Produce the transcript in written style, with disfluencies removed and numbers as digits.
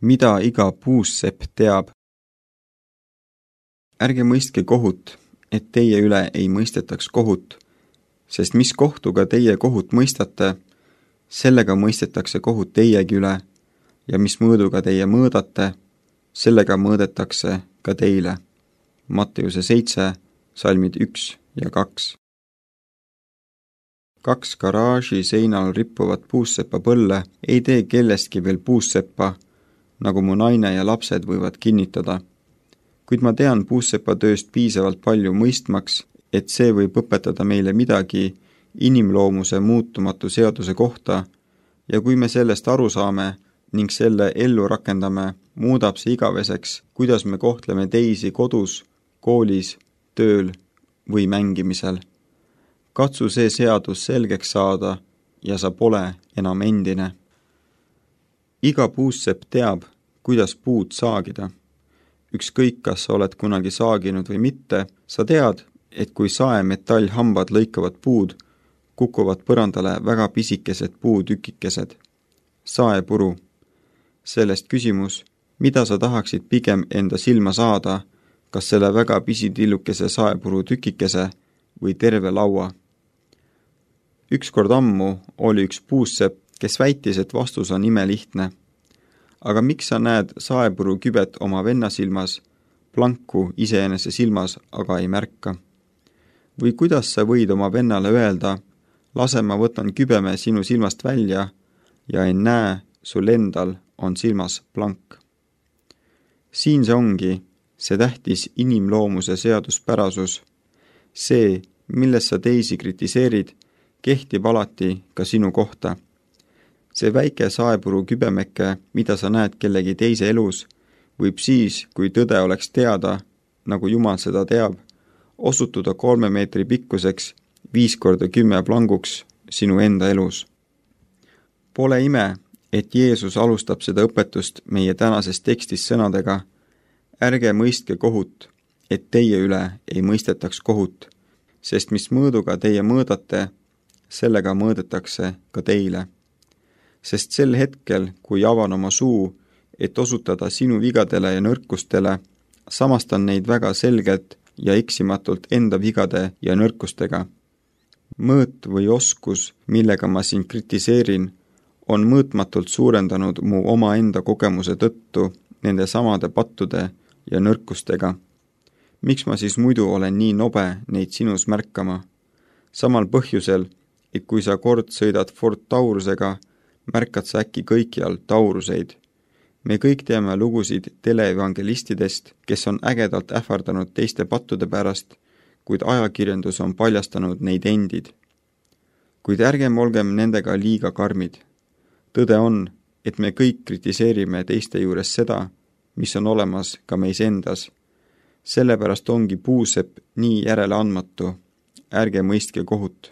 Mida iga puussepp teab? Ärge mõistke kohut, et teie üle ei mõistetaks kohut, sest mis kohtuga teie kohut mõistate, sellega mõistetakse kohut teiegi üle, ja mis mõõduga teie mõõdate, sellega mõõdetakse ka teile. Matteuse 7, salmid 1 ja 2. 2 garaaži seinal rippuvat puussepa põlle ei tee kellestki veel puusseppa, nagu mu naine ja lapsed võivad kinnitada. Kuid ma tean puussepa tööst piisavalt palju mõistmaks, et see võib õpetada meile midagi inimloomuse muutumatu seaduse kohta, ja kui me sellest aru saame ning selle ellu rakendame, muudab see igaveseks, kuidas me kohtleme teisi kodus, koolis, tööl või mängimisel. Katsu see seadus selgeks saada ja sa pole enam endine. Iga puussepp teab, kuidas puud saagida. Ükskõik, kas sa oled kunagi saaginud või mitte, sa tead, et kui saemetallhambad lõikavad puud, kukuvad põrandale väga pisikesed puutükikesed. Saepuru. Sellest küsimus, mida sa tahaksid pigem enda silma saada, kas selle väga pisitillukese saepuru tükikese või terve laua. Ükskord ammu oli üks puussepp, kes väitis, et vastus on imelihtne. Aga miks sa näed saepuru kübet oma venna silmas, planku iseenese silmas aga ei märka? Või kuidas sa võid oma vennale öelda, lase ma võtan kübeme sinu silmast välja ja ei näe, sul endal on silmas plank. Siin see ongi, see tähtis inimloomuse seaduspärasus. See, milles sa teisi kritiseerid, kehtib alati ka sinu kohta. See väike saepuru kübemeke, mida sa näed kellegi teise elus, võib siis, kui tõde oleks teada, nagu Jumal seda teab, osutuda 3 meetri pikkuseks 5x10 planguks sinu enda elus. Pole ime, et Jeesus alustab seda õpetust meie tänases tekstis sõnadega: ärge mõistke kohut, et teie üle ei mõistetaks kohut, sest mis mõõduga teie mõõdate, sellega mõõdetakse ka teile. Sest sel hetkel, kui avan oma suu, et osutada sinu vigadele ja nõrkustele, samastan neid väga selgelt ja eksimatult enda vigade ja nõrkustega. Mõõt või oskus, millega ma sind kritiseerin, on mõõtmatult suurendanud mu omaenda kogemuse tõttu nende samade pattude ja nõrkustega. Miks ma siis muidu olen nii nobe neid sinus märkama? Samal põhjusel, et kui sa kord sõidad Ford Taurusega, märkad sa äkki kõikjal Tauruseid. Me kõik teame lugusid teleevangelistidest, kes on ägedalt ähvardanud teiste pattude pärast, kuid ajakirjandus on paljastanud neid endid. Kuid ärgem olgem nendega liiga karmid. Tõde on, et me kõik kritiseerime teiste juures seda, mis on olemas ka meis endas. Sellepärast ongi puusepp nii järeleandmatu. Ärge mõistke kohut.